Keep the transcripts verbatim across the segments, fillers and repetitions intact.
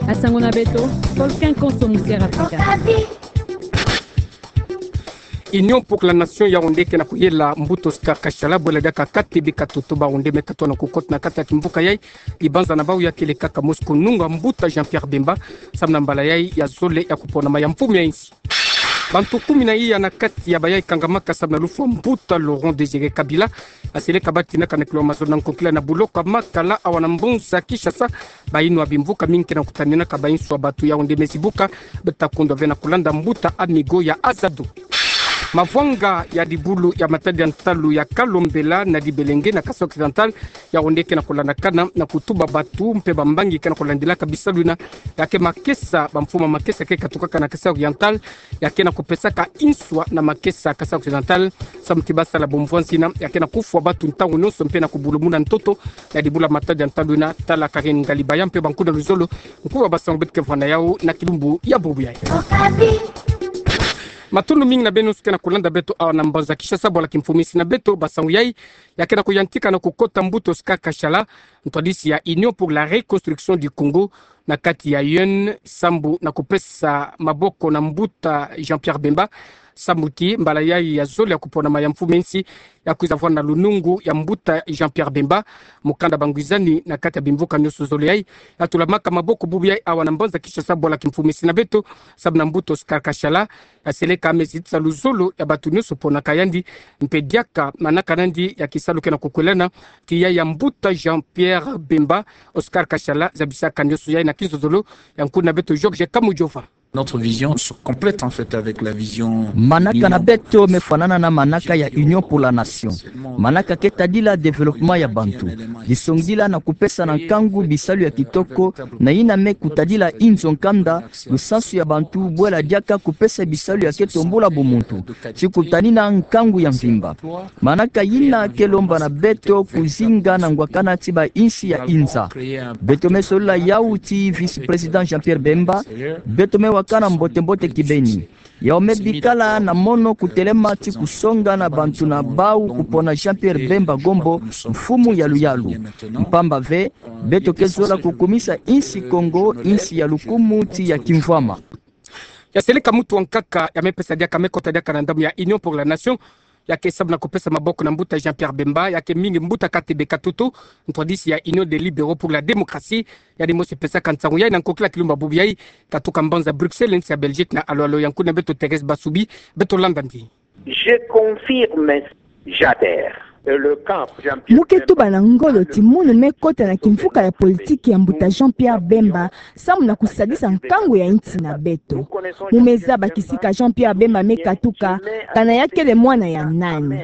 Basango na beto, Volcan Konso, Musi Afrika. Union pour la Nation Yaoundé ke na kuyela mbuta Oscar Kashala, bwela diaka K T B Katutu, bau nde me katoa na kukota na kati ya kimvuka yai, ibanza na bau ya kele kaka mosi kununga mbuta Jean-Pierre Bemba, samu na mbala yai ya zole ya kupona mai ya mfumu ya insi. Bantu kumi na iya na kati ya bayai kangamaka samu na lufwa mbuta Laurent Désiré Kabila, asele kabati na kana kilo mazo na nkokila na buloko makala awa na mbonza Kinshasa, bayinwa bimvuka mingi ke na kutanina ka bainso ya batu Yaoundé me zibuka, beta kundwa ve na kulanda mbuta Amigo ya Azado. Mavwanga ya dibulu ya matadi ya ntalu ya Kalombela na Dibelenge na Kasaï Occidental, Yaoundé ke na kulandakana na kutuba batu mpe bambangi ke na kulandilaka bisalu yina, ya ke makesa, bamfumu ya makesa ke katukaka na Kasaï Oriental, ya ke na kupesaka inswa na makesa Kasaï Occidental, samu ti basala bomvwanzi yina, ya ke na kufwa batu ntangu nyonso mpe na kubulumuna ntoto ya dibulu ya matadi ya ntalu yina, tala Karine Ngalibaya mpe bankuna luzolo, nkuba basango beto ke vwanda yau na kilumbu ya bubu yai. Matondo mingi na beno nyonso ke na kulanda beto awa na mbanza Kinshasa, bwala kimfumu insi na beto, basango yai ya ke na kuyantika na kukota mbuta Oscar Kashala, ntwadisi ya Union pour la Reconstruction du Congo, na kati ya U N, sambu na kupesa maboko na mbuta Jean-Pierre Bemba, sambu ti mbala yai ya zole ya kupona mai ya mfumu ya insi, ya kwiza vwanda na lunungu ya mbuta Jean-Pierre Bemba, mukanda bangwizani na kati ya bimvuka nyonso zole yai, ya tulamaka maboko bubu yai awa na mbanza Kinshasa, bwala kimfumu insi na beto, samu na mbuta Oscar Kashala, ya seleka me zitisa luzolo ya batu nyonso ponaka yandi, mpe diaka manaka nandi ya kisalu ke na kukwelana, ti yai ya mbuta Jean-Pierre Bemba, Oscar Kashala zabisaka nyonso yai na kinzonzolo ya nkuna beto Georges Kamujova. Notre vision se complète en fait avec la vision. Manaka na beto me fwanana na manaka ya Union pour la Nation. Manaka ke tadila développement ya bantu. Disongila na kupesa na nkangu bisalu ya kitoko, na yina me kutadila inzo nkanda, lusansu ya bantu, bwela diaka kupesa bisalu ya ke tombula bumuntu, ti kutanina nkangu ya mvimba. Manaka yina ke lomba na beto kuzinga na ngwakana ti ba insi ya inza. Beto me solola yau ti vice-président Jean-Pierre Bemba, beto me wakana mbote-mbote kibeni. Yau me bikala na mono kutelema ti kusonga na bantu na bau kupona Jean-Pierre Bemba Gombo, mfumu ya luyalu. Mpamba ve, beto ke zola kukumisa insi Kongo, insi ya lukumu ti ya kimvwama. Ya seleka muntu wa nkaka ya me pesa diaka, me kota diaka na ndambu ya Union pour la Nation, ya ke samu na kupesa maboko na mbuta Jean-Pierre Bemba, ya ke mingi mbuta Katebe Katutu, ntwadisi ya Union des Libéraux pour la Démocratie, yandi mosi pesaka nsangu yai na nkokila kilumbu ya bubu yai, katuka mbanza Bruxelles, nsi ya Belgique na alo-alo ya nkuna beto Thérèse Basubi, beto landa ndi. Je confirme, j'adhère. Mu ke tuba na ngolo ti munu me kota na kimvuka ya politiki ya mbuta Jean-Pierre Bemba, samu na kusadisa nkangu ya insi na beto. Mu me zaba kisika Jean-Pierre Bemba me katuka, kana ya kele mwana ya nani.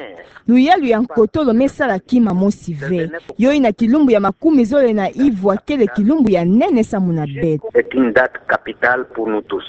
Luyalu ya nkotolo me sala kima mosi ve. Yo yina kilumbu ya makumi zole na ivwa kele kilumbu ya nene samu na beto. C'est une date capitale pour nous tous.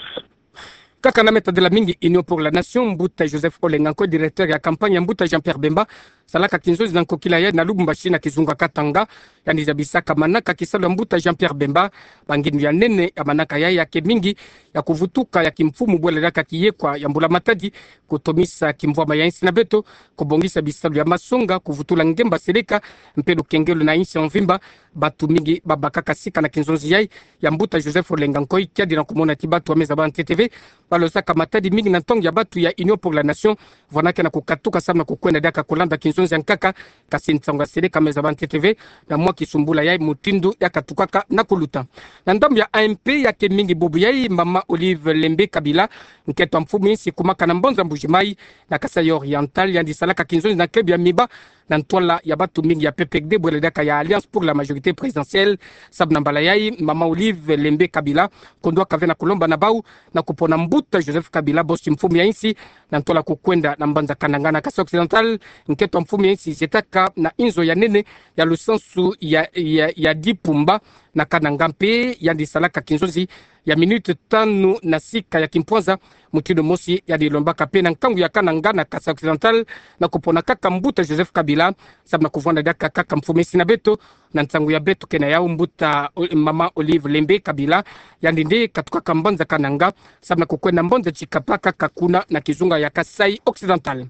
Kaka na me tadila mingi Union pour la Nation, mbuta Joseph Olenga Nkoy, directeur ya campagne ya mbuta Jean-Pierre Bemba, salaka kinzonzi na nkokila yai na Lubumbashi na kizunga Katanga, yandi zabisaka manaka kisalu ya mbuta Jean-Pierre Bemba, ba ngindu ya nene ya manaka yai ya ke mingi ya kuvutuka ya kimfumu bwela diaka kiyekwa ya mbula matadi, kutomisa kimvwama ya insi na beto, kubongisa bisalu ya masonga, kuvutula ngemba seleka, mpe lukengelo na insi ya mvimba, batu mingi babakaka sika na kinzonzi yai ya mbuta Joseph Olenga Nkoy, kiadi na kumona ti batu ya me zaba ntete ve, balozaka matadi mingi na ntangu ya batu ya Union pour la Nation, vwanda ke na kukatuka samu na kukwenda diaka kulanda kinzonzi ya nkaka, kasi nsangu ya seleka me zaba ntete ve, na mwa kisumbula yai mutindu ya katukaka na kuluta. Na ndambu ya A M P ya ke mingi bubu yai, mama Olive Lembe Kabila, nkento ya mfumu insi kumaka na mbanza Mbuji-Mayi, na Kasaï Oriental, yandi salaka kinzonzi na club ya Miba, na ntwala ya batu mingi ya P P D, bwela diaka ya Alliance pour la majorité présidentielle, samu na mbala yai, mama Olive Lembe Kabila, kundwaka ve na kulomba na bau, na kupona mbuta Joseph Kabila, bosi mfumu ya insi, na ntwala kukwenda na mbanza Kananga na Kasaï Occidental, nkento ya mfumu ya insi zetaka na inzo ya nene, ya lusansu ya, ya, ya Dipumba, na Kananga mpe, yandi salaka kinzonzi, ya minute tanu na sika ya kimpwanza, mutindu mosi yandi lombaka mpe na nkangu ya Kananga na Kasaï Occidental, na kupona kaka mbuta Joseph Kabila, samu na kuvwanda diaka kaka mfumu insi na beto, na nsangu ya beto ke na yau mbuta O-, mama Olive Lembe Kabila, yandi nde katukaka mbanza Kananga, samu na kukwenda mbanza Tshikapa kaka kuna na kizunga ya Kasaï Occidental.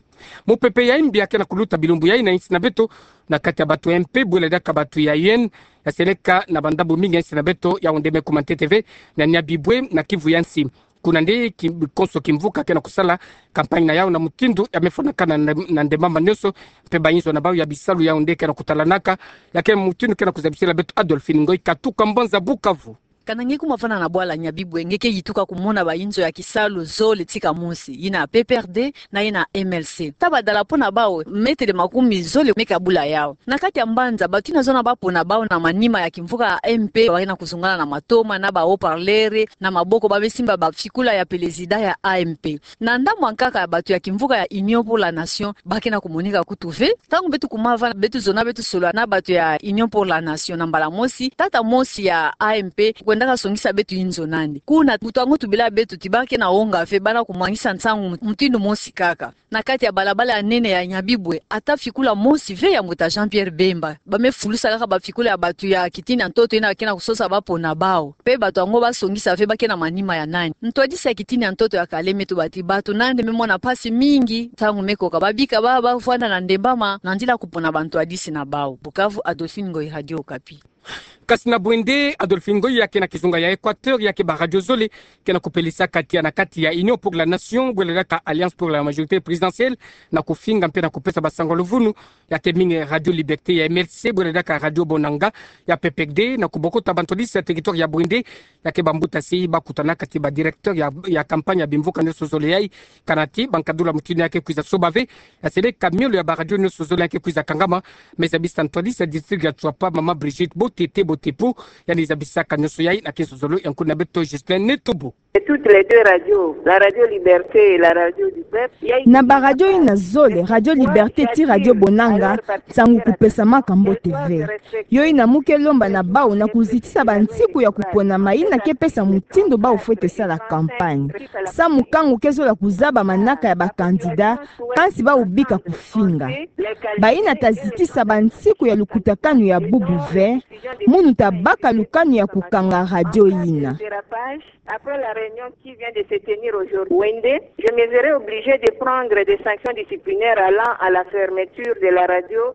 Mupepe ya imbi ya ke na kuluta bilumbu ya ina insi na beto, na kati ya bato ya M P, bwela diaka bato ya U N, ya seleka na bandambu mingi insi na beto, ya onde me kuma ntete ve, na Nyabibwe, na Kivu ya nsi. Kuna nde ki-, konso kimvuka ke na kusala, campagne na yau na mutindu, ya me fwanakana na, na ndemama nionso, mpe bainzo na bau ya bisalu ya onde ke na kutalanaka, ya ke mutindu ke na kuzabisila beto Adolphine Ngoyi Katuka Mbanza Bukavu. Kana nge kuma vanda na bwala Nyabibwe, nge ke yituka kumona bainzo ya kisalu zole tika mosi, ina P P R D, na ina M L C. Ta badalapo na bau, metele makumi zole me kabula yau. Na kati ya mbanza, bato ina zona bapo na bau na manima ya kimvuka ya M P, ba ke na kuzungana na matoma, na ba haut-parleur, na maboko ba me simba bafikula ya pelezida ya A M P. Na ndambu ya nkaka ya bato ya kimvuka ya Union pour la Nation, ba ke na kumonika kutu ve. Ntangu beto kuma vanda, beto zona beto solola na bato ya Union pour la Nation na mbala mosi, tata mosi ya A M P, kwendaka songisa beto inzo nani. Kuna, buta ngo tubila beto ti ba ke na onga ve, ba na kumwangisa nsangu mutindu mosi kaka. Na kati ya balabala ya nene ya Nyabibwe, ata fikula mosi ve ya mbuta Jean-Pierre Bemba. Ba me fulusa kaka bafikula ya bato ya kitini ya ntoto ina ke na kusosa bapo na bau. Mpe bato yango ba songisa ve ba ke na manima ya nani. Ntwadisi ya kitini ya ntoto ya kala me tuba ti bato nande me mona mpasi mingi, ntangu me koka ba bika ba, ba vanda na ndembama, na nzila kupona bantwadisi na bau. Bukavu, Adolphine Ngoyi, Radio Okapi. Kasi na bwende, Adolphine Ngoyi, ya ke na kizunga ya Equateur, ya ke ba radio zole ke na kupelisa kati ya na kati ya Union pour la Nation, bwela diaka Alliance pour la Majorité Présidentielle, na kufinga mpe na kupesa basango ya luvunu, ya ke mingi Radio Liberté ya M L C, bwela diaka Radio Bonanga ya P P R D, na kubokota bantwadisi ya territoire ya bwende, ya ke bambuta si ba kutana kati ba directeur ya, ya campagne ya bimvuka nionso zole yai, kana ti bankadula mutindu ya ke kwiza soba ve, ya seleka miolo ya ba radio nionso zole ya ke kwiza kangama, me zabisa ntwadisi ya district ya Tshuapa, Mama Brigitte Botete Botepu, yandi zabisaka nionso yai na kinso zolo ya nkuna beto Ghislain Netobo. Et toutes les deux radios, la Radio Liberté et la Radio du Peuple, ya Na ba radio ina zole, Radio Liberté ti Radio Bonanga, nsangu kupesamaka mbote ve. Yo ina mu ke lomba na bau na kuzitisa bansiku ya kuponama ina ke pesa mutindu bau fwete sala campagne. Samu kangu ke zola kuzaba manaka ya ba candidat, kansi bau bika kufinga. Baina ta zitisa bansiku ya lukutakanu ya bubu ve, munu ta baka lukanu ya kukanga radio ina. Après la réunion qui vient de se tenir aujourd'hui, Wende, je me verrai obligé de prendre des sanctions disciplinaires allant à la fermeture de la radio.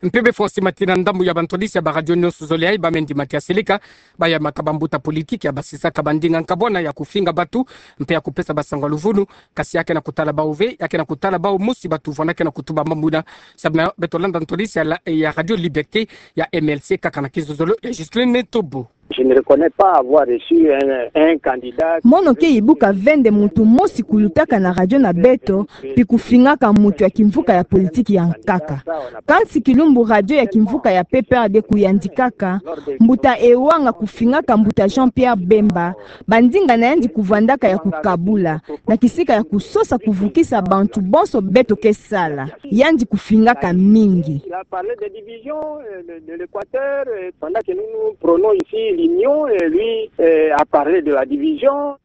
Mpe befo si mati na ndambu ya bantwadisi ya ba radio nionso zole yai, ba me ndima ti ya seleka, ba yamaka bambuta politique ya basisaka bandinga nkabwana ya kufinga bato, mpe ya kupesa basango ya luvunu, kasi ya ke na kutala bau ve, ya ke na kutala bau mosi bato vwanda ke na kutuba mambu ina, samu na beto landa ntwadisi ya la, ya Radio Liberté ya M L C kaka na kinso zolo ya Ghislain Netobo. Je ne reconnais pas avoir reçu un, un candidat. Mono ke ibuka ve nde muntu mosi kulutaka na radio na beto, pi kufingaka muntu ya kimvuka ya politique ya nkaka. Kansi kilumbu radio ya kimvuka ya P P R D kuyandikaka, mbuta Ewanga kufingaka mbuta Jean-Pierre Bemba, bandinga na yandi kuvwandaka ya kukabula, na kisika ya kusosa kuvukisa bantu bonso beto ke sala. Yandi kufingaka mingi. Il a parlé de division, euh, de, de l'Équateur, euh, pendant que nous, nous prônons ici l'union, euh, lui, euh, a parlé de la division.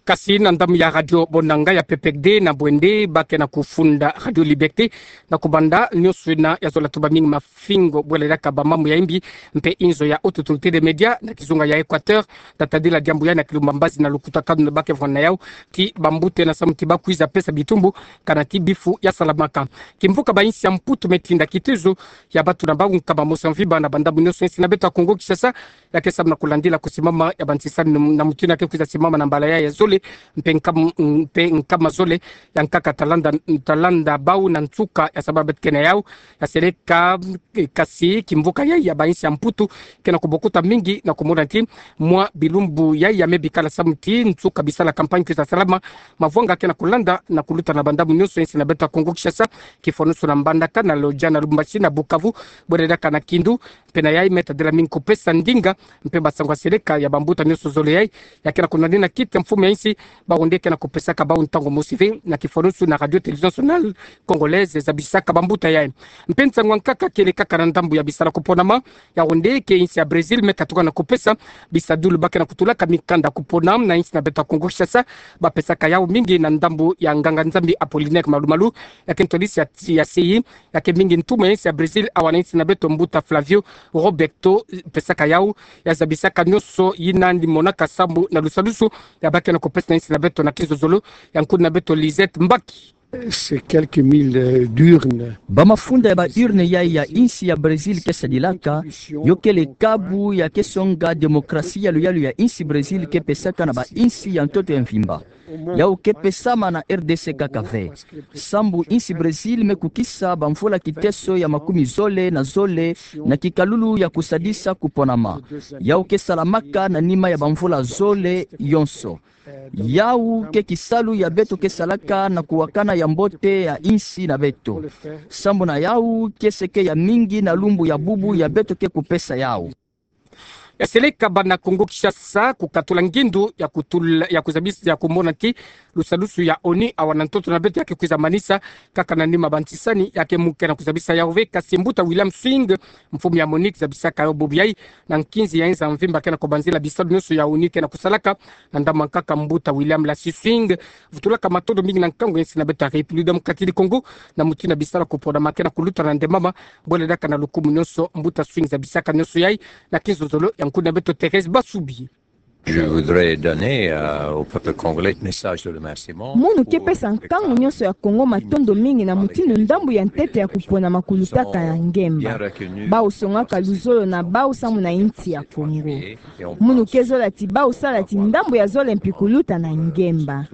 Kasi na ndambu ya Radio Bonanga ya P P R D na bwende, ba ke na kufunda Radio Liberté, na kubanda nionso ina ya zola tuba mingi mafingo bwela diaka bamambu ya imbi, mpe inzo ya Haute Autorité des Médias na kizunga ya Équateur, ta tadila diambu ya na kilumbu mbazi na lukutakanu ba ke vwanda na yau, ti bambuta na samu ti ba kwiza pesa bitumbu, kana ti bifu ya salamaka. Kimvuka ba insi ya Mputu me tinda kitezo ya bato na bau nkama mosi ya mvimba na bandambu nionso insi na beto ya Congo Kinshasa, ya ke samu na kulandila kusimama ya bantisani na mutindu ya ke kwiza simama na mbala ya, ya zole, mpe nkam-, mpe nkama zole, ya nkaka talanda, talanda bau na nsuka ya sabala beto ke na yau, ya seleka, eh, kasi kimvuka ya, ya ba insi ya Mputu, ke na kubokota mingi na kumona ti, mwa bilumbu ya, ya me bikala samu ti, nsuka bisala campagne kwiza salama, mavwanga ke na kulanda, na kuluta na bandambu nionso insi na beto ya Congo Kinshasa, kifwanusu na Mbandaka, na Lodja, na Lubumbashi, na Bukavu, bwela diaka na Kindu, mpe na yai me tadila mingi kupesa ndinga, mpe basango ya seleka ya bambuta nionso zole yai, ya ke na kunanina kiti ya mfumu ya insi, bau nde ke na kupesaka bau ntangu mosi ve, na kifwanusu na Radio Télévision Nationale Congolaise, zabisaka bambuta yai. Mpe nsangu ya nkaka kele kaka na ndambu ya bisala kuponama, yau nde ke insi ya Brésil me katuka na kupesa bisadulu ba ke na kutulaka mikanda kupona na insi na beto ya Congo Kinshasa, ba pesaka yau mingi na ndambu ya nganga-Nzambi Apollinaire Malu-Malu, ya ke ntwadisi ya, ya C I, ya ke mingi ntumwa ya insi ya Brésil awa na insi na beto mbuta Flávio Roberto, pesaka yau, ya zabisaka nionso ina yandi monaka samu na lusalusu ya ba ke na kupesa na insi na beto na kizozolo, ya nkuna beto Lisette Mbaki. C'est quelques mille, euh, d'urnes. Ba mafunda ya ba urne yayi ya insi ya Brésil ke sadilaka, yo kele kabu ya ke songa démocratie ya luyalu ya insi Brésil ke pesaka na ba insi ya ntoto ya mvimba. Yau ke pesama na R D C kaka ve. Sambu insi Brésil me kukisa ba mvula kiteso ya makumi zole na zole na kikalulu ya kusadisa kuponama. Yau ke salamaka na nima ya ba mvula zole yonso. Yau ke kisalu ya beto ke salaka na kuwakana ya mbote ya insi na beto. Sambu na yau ke seke ya mingi na lumbu ya bubu ya beto ke kupesa yau. Ya seleka bana Kongo Kinshasa kukatula ngindu ya kutula, ya kuzabisa, ya kumona ti lusalusu ya ONU awa na ntoto na beto ya ke kwiza manisa kaka na nima ba ntisani ya ke muke na kuzabisa yau ve, kasi mbuta William Swing, mfumu ya MONUC, zabisaka yo bubu yayi na nkinzi ya inza mvimba ke na kubanzila bisalu nionso ya ONU ke na kusalaka na ndambu ya nkaka. Mbuta William Lassie Swing, vutulaka matondo mingi na nkangu ya insi na beto ya République Démocratique du Congo na mutindu ya bisalu ya kuponama ke na kuluta na ndembama. Bole diaka na lukumu nionso, mbuta Swing, zabisaka nionso yayi na kinzonzolo ya nkuna beto Thérèse Basubi. Je voudrais donner, euh, au peuple congolais un message de remerciement. Munu ke pesa nkangu nionso ya Kongo matondo mingi na mutindu ndambu ya ntete ya kuponama kulutaka na ngemba. Bau songaka luzolo na bau samu na insi ya Kongo. Munu ke zola ti bau sala ti ndambu ya zole mpi kuluta na ngemba.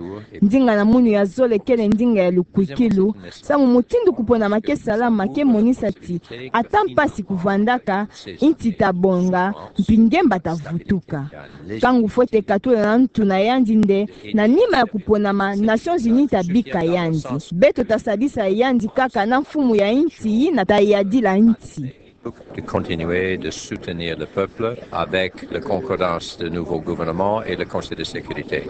Ndinga na munu ya zole kele ndinga ya lukwikilu, samu mutindu kuponama ke salama ke monisa ti ata mpasi kuvwandaka, insi ta bonga, mpi ngemba ta vutuka. Nkangu fwete katula na ntu na yandi nde, na nima ya kuponama, Nations Unies ta bika yandi. Beto ta sadisa yandi kaka na mfumu ya insi yina ta yadila insi. De continuer de soutenir le peuple avec la concordance de nouveau gouvernement et le Conseil de sécurité.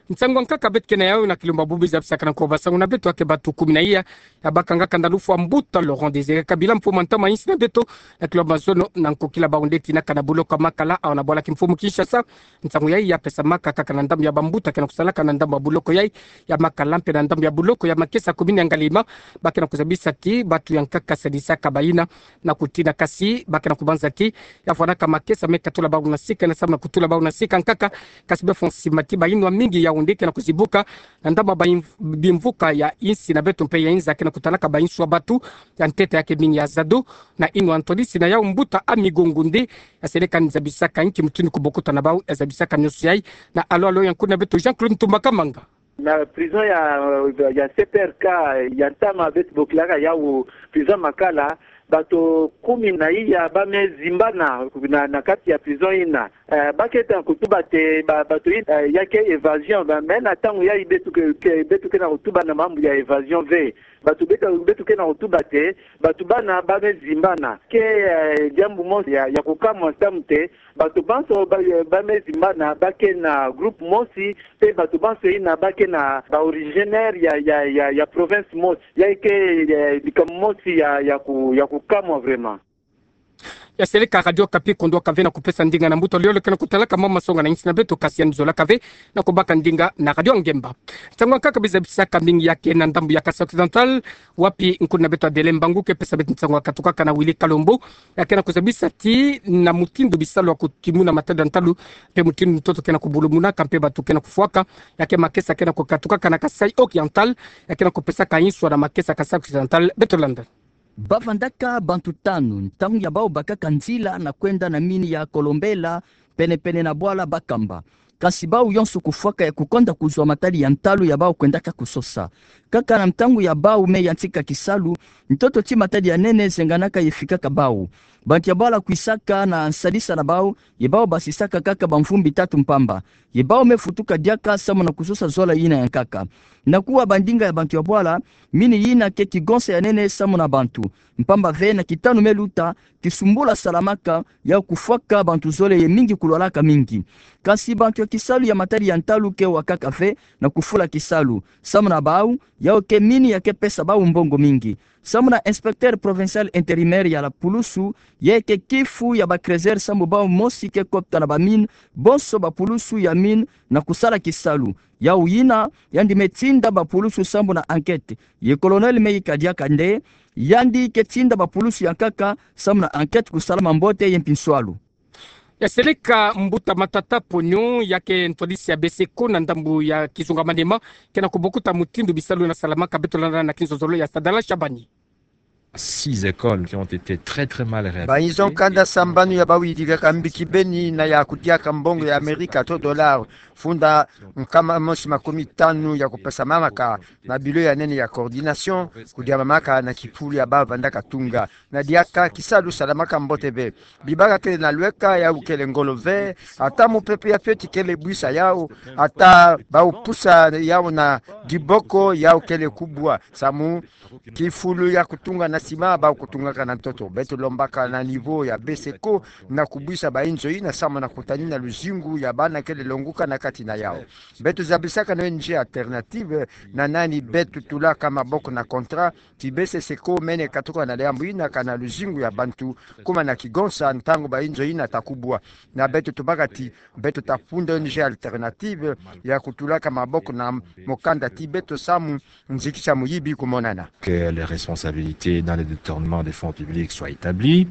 Nsangu ya nkaka beto ke na yau na kilumbu ya bubu, zabisaka na nkoba sangu na beto ya ke batu kumi na iya ya bakangaka na lufwa mbuta Laurent Désiré Kabila, mfumu ya ntama ya insi na beto, na kilumbu ya mazono na nkokila bau nde tinaka na buloko ya Makala, awa na bwala kimfumu Kinshasa. Nsangu yayi ya pesamaka kaka na ndambu ya bambuta ke na kusalaka na ndambu ya buloko yayi ya Makala mpe na ndambu ya buloko ya makesa ya commune ya Ngaliema, ba ke na kuzabisa ti batu ya nkaka sadisaka bayina na kutina, kasi ba ke na kubanza ti ya fwanaka makesa me katula bau na sika, na samu na kutula bau na sika nkaka, kasi befo nsima ti bayinwa mingi yau nde ke na kuzibuka na ndambu ya ba bimvuka ya insi na beto mpe ya inza ke na kutalaka ba inswa batu ya ntete ya ke mingi ya zadu na inwa ntwadisi. Na yau mbuta Ami Gongo nde ya seleka nzabisaka nki mutindu kubokuta na bau ya zabisaka nionso yayi. Na alo alo ya nkuna beto Jean-Claude Ntumba Kamanga. Na prison ya, ya C P R K ya ntama beto bokilaka yau prison Makala, bato kumi na iya ba me zimbana na, na kati ya prison yina. Eh, ba ke tanga kutuba te, ba, bato yina, eh, ya ke évasion, ba, mais na ntangu yayi beto ke, ke, beto ke na kutuba na mambu ya évasion ve. Bato beto, beto ke na kutuba te, bato bana ba me zimbana. Ke, eh, diambu mosi ya, ya kukamwa samu te, bato banso ba, ba me zimbana, ba ke na groupe mosi, mpe bato banso yina ba ke na ba originaire ya, ya, ya, ya province mosi. Ya ke, eh, likambo mosi ya, ya ku, ya kukamwa vraiment. Ya seleka Radio Okapi, kondwa kave na kupesa ndinga na mbuta Lolo ke na kutalaka mama songa na insi na beto, kasi yandi zolaka ve na kubaka ndinga na Radio Ngemba. Nsangu ya nkaka bie zabisaka mingi ya ke na ndambu ya Kasaï Occidental, wapi nkuna beto Adele Mbangu ke pesa beto nsangu ya katukaka na Willy Kalombo, ya ke na kuzabisa ti na mutindu bisalu ya kutimuna matadi ya ntalu mpe mutindu ntoto ke na kubulumuna ka mpe batu ke na kufwaka, ya ke makesa ke na kukatukaka na Kasaï Oriental, ya ke na kupesaka inswa na makesa Kasaï Occidental. Beto landa. Ba vandaka bantu tanu, ntangu ya bau bakaka nzila na kwenda na mine ya Kolombela, pene-pene na bwala Bakamba. Kasi bau yonso kufwaka ya kukonda kuzwa matadi ya ntalu ya bau kwendaka kusosa. Kaka na ntangu ya bau me yantika kisalu, ntoto ti matadi ya nene zenganaka ye fikaka bau. Bantu ya bwala kwisaka na nsadisa na bau, ye bau basisaka kaka ba mvumbi tatu mpamba. Ye bau me futuka diaka samu na kusosa zola yina ya nkaka. Na kuwa ba ndinga ya bantu ya bwala, mine yina ke kigonsa ya nene samu na bantu. Mpamba ve na kitanu me luta, kisumbula salamaka, ya kufwaka bantu zole ye mingi kulwalaka mingi. Kasi bantu ya kisalu ya matadi ya ntalu ke wakaka ve na kufula kisalu. Samu na bau, yau ke mine ya ke pesa bau mbongo mingi. Samu na inspecteur provincial intérimaire ya la pulusu, ye ke kifu ya ba creuseuse samu bau mosi ke kota na ba mine, bonso ba pulusu ya mine na kusala kisalu. Yau yina, yandi me tinda ba pulusu samu na enquête. Ye colonel me yika diaka nde, yandi ke tinda ba pulusu ya nkaka samu na enquête kusalama mbote ye mpinswalu. Ya seleka mbuta Matata Ponyo, ya ke ntwadisi ya BESECO na ndambu ya kizunga manima, ke na kubokuta mutindu bisalu nasalamaka. Beto landa na kinzozolo ya Sadala Shabani. Six écoles qui ont été très, très mal réhabilitées. Bainzo nkanda sambanu ya bawidikaka mbiki beni na ya kudiaka mbongo ya Amerika to dollar funda nkama mosi makumi tanu ya kupesa mamaka na bilo ya nene ya coordination, kudia mamaka na kifulu ya bavanda katunga. Na diaka kisalu salamaka mbote bê. Bibâka kele na lweka, yau kele ngolo ve, ata mupepe ya fioti kele bwisa yau, ata bau pusa yau na diboko, yau kele kubwa. Samu kifulu ya kutunga na sima, bau kutungaka na ntoto. Beto lombaka na niveau ya BESECO na kubwisa bainzo ina samu na kutanina luzingu ya bana kele longuka na kati na yau. Beto zabisaka na O N G Alternative, na nani beto tulaka maboko na contrat, ti BESECO mene katuka na diambu ina kana luzingu ya bantu, kuma na kigonsa ntangu bainzo ina ta kubwa. Na beto tubâka ti beto ta funda O N G Alternative ya kutulaka maboko na mokanda ti beto samu nzikisa muyibi kumonana. Que les responsabilités dans les détournements des fonds publics soient établies.